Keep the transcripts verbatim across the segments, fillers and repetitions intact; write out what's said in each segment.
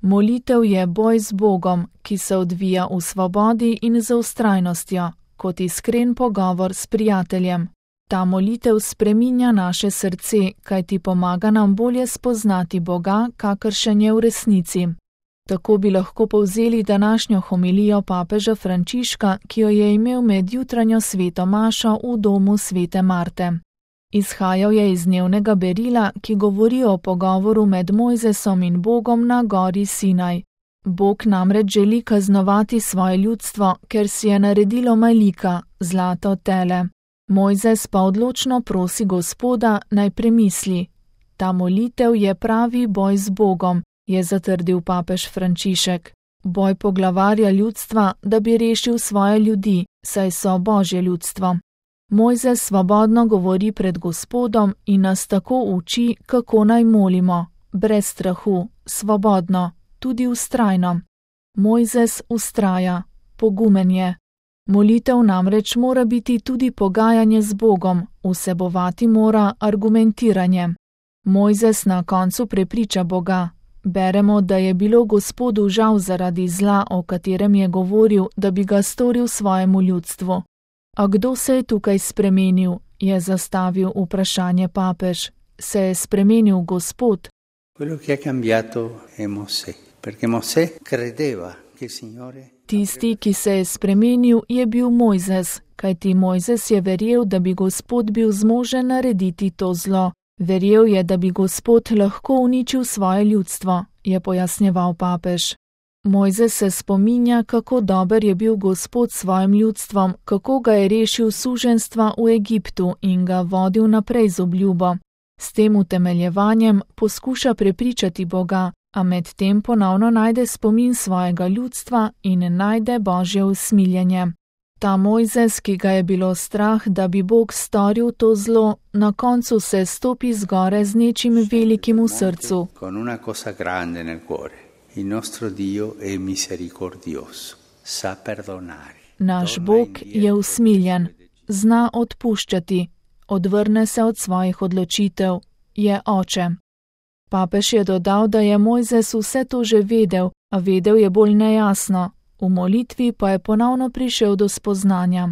Molitev je boj z Bogom, ki se odvija v svobodi in z vztrajnostjo, kot iskren pogovor s prijateljem. Ta molitev spreminja naše srce, kajti pomaga nam bolje spoznati Boga, kakršen je v resnici. Tako bi lahko povzeli današnjo homilijo papeža Frančiška, ki jo je imel med jutranjo sveto mašo v domu svete Marte. Izhajal je iz dnevnega berila, ki govori o pogovoru med Mojzesom in Bogom na gori Sinaj. Bog namreč želi kaznovati svoje ljudstvo, ker si je naredilo Malika, zlato tele. Mojzes pa odločno prosi Gospoda, naj premisli. Ta molitev je pravi boj z Bogom, je zatrdil papež Frančišek. Boj poglavarja ljudstva, da bi rešil svoje ljudi, saj so Božje ljudstvo. Mojzes svobodno govori pred Gospodom in nas tako uči, kako naj molimo, brez strahu, svobodno, tudi vztrajno. Mojzes vztraja, pogumen je. Molitev namreč mora biti tudi pogajanje z Bogom, vsebovati mora argumentiranje. Mojzes na koncu prepriča Boga. Beremo, da je bilo Gospodu žal zaradi zla, o katerem je govoril, da bi ga storil svojemu ljudstvu. A kdo se je tukaj spremenil, je zastavil vprašanje papež. Se je spremenil Gospod? Tisti, ki se je spremenil, je bil Mojzes, kajti Mojzes je verjel, da bi Gospod bil zmožen narediti to zlo. Verjel je, da bi Gospod lahko uničil svoje ljudstvo, je pojasnjeval papež. Mojzes se spominja, kako dober je bil Gospod s svojim ljudstvom, kako ga je rešil suženjstva v Egiptu in ga vodil naprej z obljubo. S tem utemeljevanjem poskuša prepričati Boga, a medtem ponovno najde spomin svojega ljudstva in najde Božje usmiljenje. Ta Mojzes, ki ga je bilo strah, da bi Bog storil to zlo, na koncu se stopi z gore z nečim velikim v srcu. Naš Bog je usmiljen, zna odpuščati, odvrne se od svojih odločitev, je oče. Papež je dodal, da je Mojzes vse to že vedel, a vedel je bolj nejasno. V molitvi pa je ponovno prišel do spoznanja.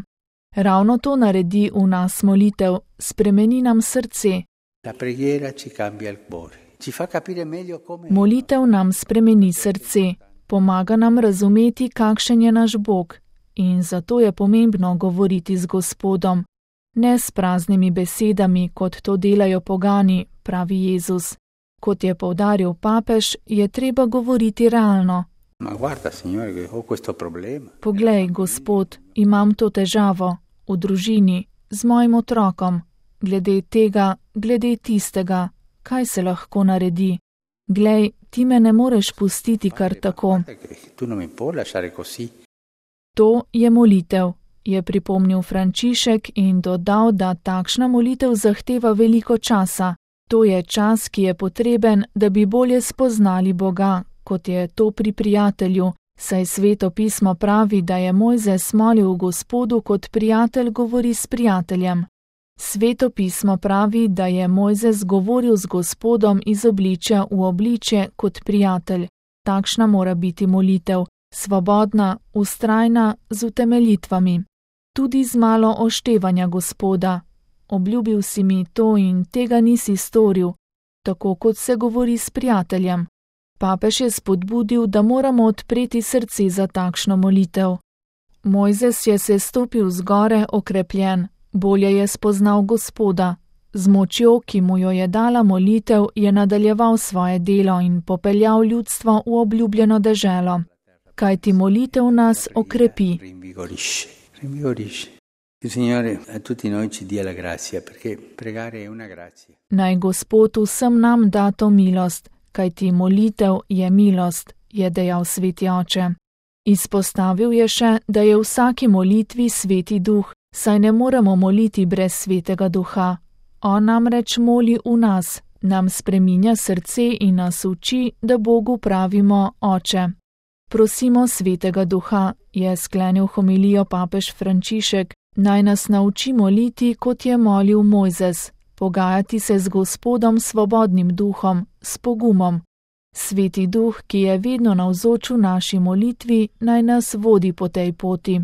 Ravno to naredi v nas molitev, spremeni nam srce. Molitev nam spremeni srce, pomaga nam razumeti, kakšen je naš Bog, in zato je pomembno govoriti z Gospodom. Ne s praznimi besedami, kot to delajo pogani, pravi Jezus. Kot je poudaril papež, je treba govoriti realno. Poglej, Gospod, imam to težavo, v družini, z mojim otrokom, glede tega, glede tistega, kaj se lahko naredi. Glej, ti me ne moreš pustiti kar tako. To je molitev, je pripomnil Frančišek in dodal, da takšna molitev zahteva veliko časa. To je čas, ki je potreben, da bi bolje spoznali Boga, kot je to pri prijatelju, saj Sveto pismo pravi, da je Mojzes molil Gospodu, kot prijatelj govori s prijateljem. Sveto pismo pravi, da je Mojzes govoril z Gospodom iz obličja v obličje kot prijatelj. Takšna mora biti molitev, svobodna, vztrajna, z utemeljitvami. Tudi z malo oštevanja Gospoda. Obljubil si mi to in tega nisi storil, tako kot se govori s prijateljem. Papež je spodbudil, da moramo odpreti srce za takšno molitev. Mojzes je se stopil z gore okrepljen, bolje je spoznal Gospoda. Z močjo, ki mu jo je dala molitev, je nadaljeval svoje delo in popeljal ljudstvo v obljubljeno deželo. Kajti molitev nas okrepi. Naj Gospod vsem nam da to milost, kajti molitev je milost, je dejal sveti oče. Izpostavil je še, da je v vsaki molitvi sveti duh, saj ne moremo moliti brez svetega duha. On namreč moli v nas, nam spreminja srce in nas uči, da Bogu pravimo oče. Prosimo svetega duha, je sklenil homilijo papež Frančišek, naj nas nauči moliti, kot je molil Mojzes, pogajati se z Gospodom svobodnim duhom, s pogumom. Sveti Duh, ki je vedno navzoč v naši molitvi, naj nas vodi po tej poti.